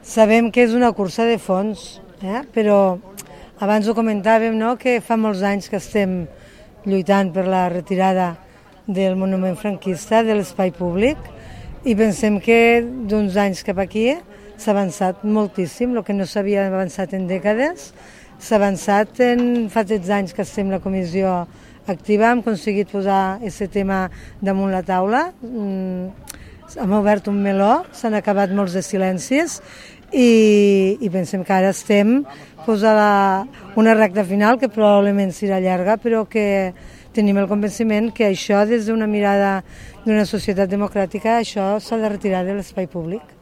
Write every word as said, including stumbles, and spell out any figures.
Sabem que és una cursa de fons, eh? Però abans ho comentàvem, no?, que fa molts anys que estem lluitant per la retirada del monument franquista de l'espai públic i pensem que d'uns anys cap aquí s'ha avançat moltíssim, el que no s'havia avançat en dècades. S'ha avançat en fa tretze anys que estem la comissió activa, hem aconseguit posar aquest tema damunt la taula, hem obert un meló, s'han acabat molts de silencis i, i pensem que ara estem pues, a la, una recta final que probablement serà llarga, però que tenim el convenciment que això, des d'una mirada d'una societat democràtica, això s'ha de retirar de l'espai públic.